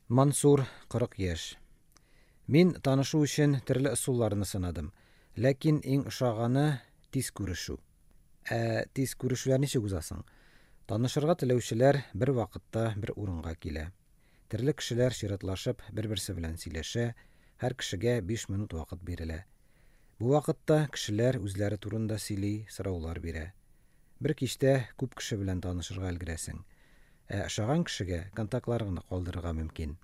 Мансур, 40 яшь. Мин танышу өчен төрле ысулларны сынадым. Ләкин иң ошаганы – тиз күрешү. Ә тиз күрешүләр ничек уза соң? Танышырга теләүчеләр бер вакытта бер урынга килә. Төрле кешеләр чиратлашып бер-берсе белән сөйләшә, һәр кешегә 5 минут вакыт бирелә. Бу вакытта кешеләр үзләре турында сөйли, сораулар бирә. Бер кичтә күп кеше белән танышырга өлгерәсең. Ә ошаган кешегә контактларыңны калдырырга мөмкин.